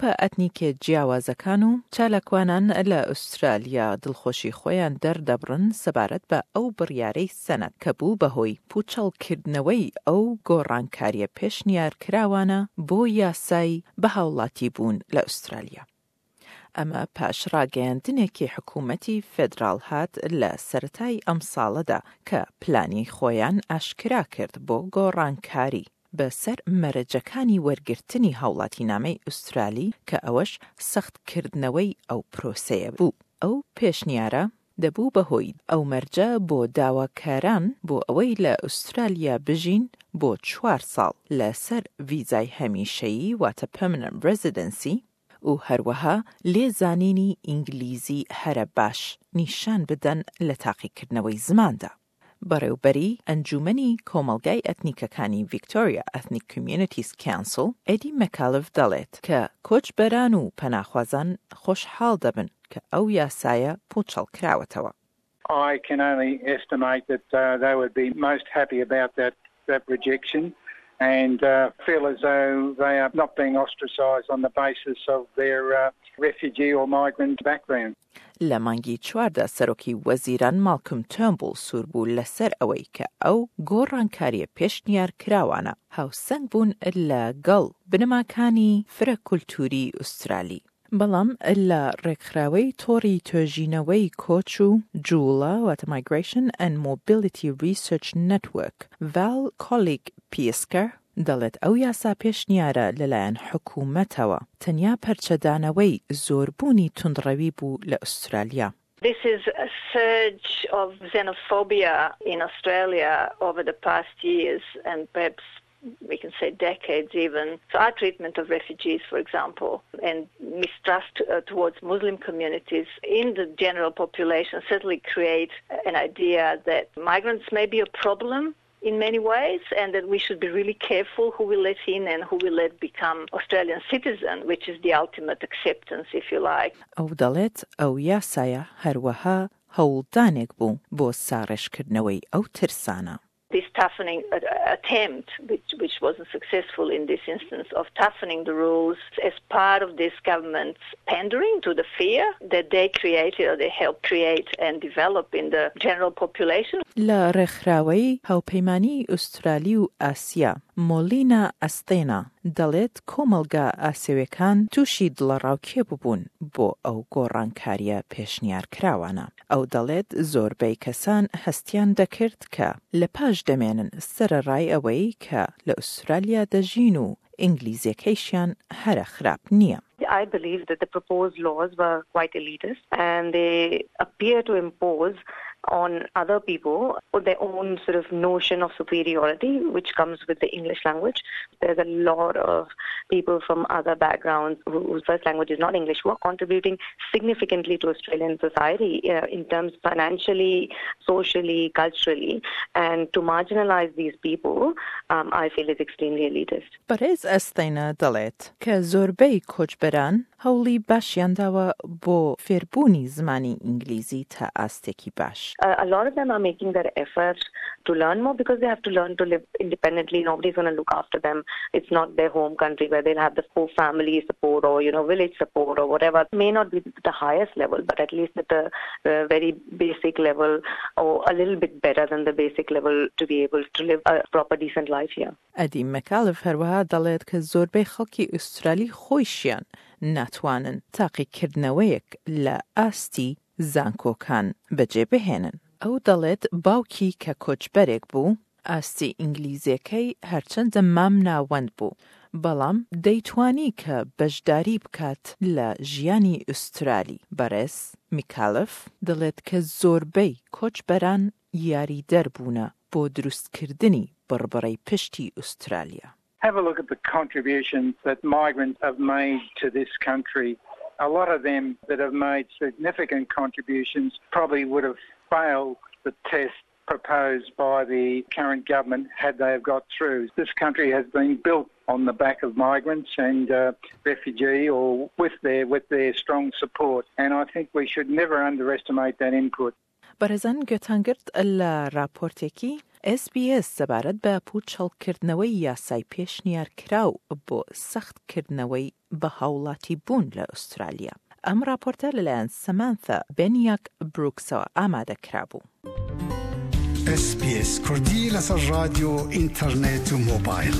گروپە ئەتنیکێ جیاوازەکان و چالاکوانان لە ئوسترالیا دڵخۆشی خۆیان دەردەبڕن سەبارەت بە ئەو بڕیارەی سەنەت کە بوو بە هۆی پوچەڵکردنەوەی ئەو گۆڕانکاریە پێشنیارکراوانە بۆ یاسای بە هاوڵاتیبوون لە ئوسترالیا. ئەمە پاش ڕاگەیاندنێکی حکوومەتی فێدراڵ هات لە سەرەتای ئەمساڵەدا کە پلانی خۆیان ئاشکرا کرد بۆ گۆڕانکاری بە سەر مەرجەکانی وەرگرتنی هاوڵاتینامەی ئوسترالی کە ئەوەش سەخت کردنەوەی ئەو پرۆسەیە بوو. ئەو پێشنیارە دەبوو بە هۆی ئەو مەرجە بۆ داواکاران بۆ ئەوەی لە ئوسترالیا بژین بۆ چوار ساڵ لە سەر ڤیزای هەمیشەیی واتە Permanent Residency و هەروەها لێزانینی ئینگلیزی هەرە باش نیشان بدەن لە تاقیکردنەوەی زماندا. بەڕێوبەری ئەنجوومەنی کۆمەڵگای ئەتنیکەکانی ڤیکتۆریا Ethnic Communities Council، ئێدی مەکالف دەڵێت کە کۆچبەران و پەناخوازان خۆشحاڵ دەبن کە ئەو یاسایە پووچەڵکراوەتەوە. I can only estimate that they would be most happy about that that rejection and feel as though they are not being ostracized on the basis of their refugee or migrant background. لە مانگی چواردا سەرۆکی وەزیران ماڵکم تێرنبوڵ سوور بوو لەسەر ئەوەی کە ئەو گۆڕانکارییە پێشنیار کراوانە هاوسەنگ بوون لە گەڵ بنەماکانی فرە کولتووری ئوسترالی. بەڵام لە ڕێکخراوەی تۆڕی توێژینەوەی کۆچ و جووڵە واتە Migration and Mobility Research Network، ڤال کۆلیگ پیسکەر دەڵێت ئەو یاسا پێشنیارە لەلایەن حکومەتەوە تەنیا پەرچەدانەوەی زۆربوونی توندڕەوی بوو لە ئوسترالیا. This is a surge of xenophobia in Australia over the past years and perhaps we can say decades even. So our treatment of refugees, for example, and mistrust towards Muslim communities in the general population certainly create an idea that migrants may be a problem in many ways and that we should be really careful who we let in and who we let become Australian citizen, which is the ultimate acceptance, if you like. ئەو دەڵێت ئەو یاسایە هەروەها هەوڵدانێک بوو بۆ ساڕێژکردنەوەی ئەو ترسانە. This toughening attempt, which, which wasn't successful in this instance, of toughening the rules as part of this government's pandering to the fear that they created or they helped create and develop in the general population. لە ڕێکخراوەی هاوپەیمانیی ئوسترالی و ئاسیا، مۆلینا ئەستێنا دەڵێت کۆمەڵگا ئاسێوێکان تووشی دڵەڕاوکێ ببوون بۆ ئەو گۆڕانکارییە پێشنیارکراوانە. ئەو دەڵێت زۆربەی کەسان هەستیان دەکرد کە لە پاش دەمێنن سەرەڕای ئەوەی کە لە ئوسترالیا دەژین و ئینگلیزیەکەیشیان هەرە خراپ نییە. I believe that the proposed laws were quite elitist and they appear to impose on other people their own sort of notion of superiority, which comes with the English language. There's a lot of people from other backgrounds whose first language is not English who are contributing significantly to Australian society uh, in terms financially, socially, culturally. And to marginalize these people, um, I feel is extremely elitist. بەڕێز ئەستەینە دەڵێت کە زۆربەی کۆچبەران هەوڵی باشیان داوە بۆ فێربوونی زمانی ئینگلیزی تا ئاستێکی باش. A lot of them are making their effort to learn more because they have to learn to live independently. Nobody's going to look after them. It's not their home country where they'll have the full family support or, you know, village support or whatever. It may not be the highest level, but at least at the, the very basic level or a little bit better than the basic level to be able to live a proper decent life here. ئەدی مەکالف هەروەها دەڵێت کە زۆربەی خەڵکی ئوسترالی خۆیشیان ناتوانن تاقیکردنەوەیەک لە ئاستی زانکۆکان بەجێ بهێنن. ئەو دەڵێت باوکی کە کۆچبەرێک بوو، ئاستی ئینگلیزیەکەی هەرچەندە مام ناوەند بوو، بەڵام دەیتوانی کە بەشداری بکات لە ژیانی ئوسترالی. بەڕێز میکالف دەڵێت کە زۆربەی کۆچبەران یاریدەر بوونە بۆ دروستکردنی بڕبڕەی پشتی ئوسترالیا. Have a look at the contributions that migrants have made to this country. A lot of them that have made significant contributions probably would have failed the test proposed by the current government had they have got through. This country has been built on the back of migrants and uh, refugee or with their with their strong support and I think we should never underestimate that input. بەڕێزان گوێتان گرت لە راپۆرتێکی SBS سەبارەت بە پووچەڵکردنەوەی یاسای پێشنیارکراو بۆ سەختکردنەوەی بە هاوڵاتیبوون لە ئوسترالیا. ئەم ڕاپۆرتە لەلایەن سەمانثا بێنیاک بروکسەوە ئامادە کرابوو. SBS کوردی لەسەر ڕادیۆ، ئینتەرنێت و مۆبایل.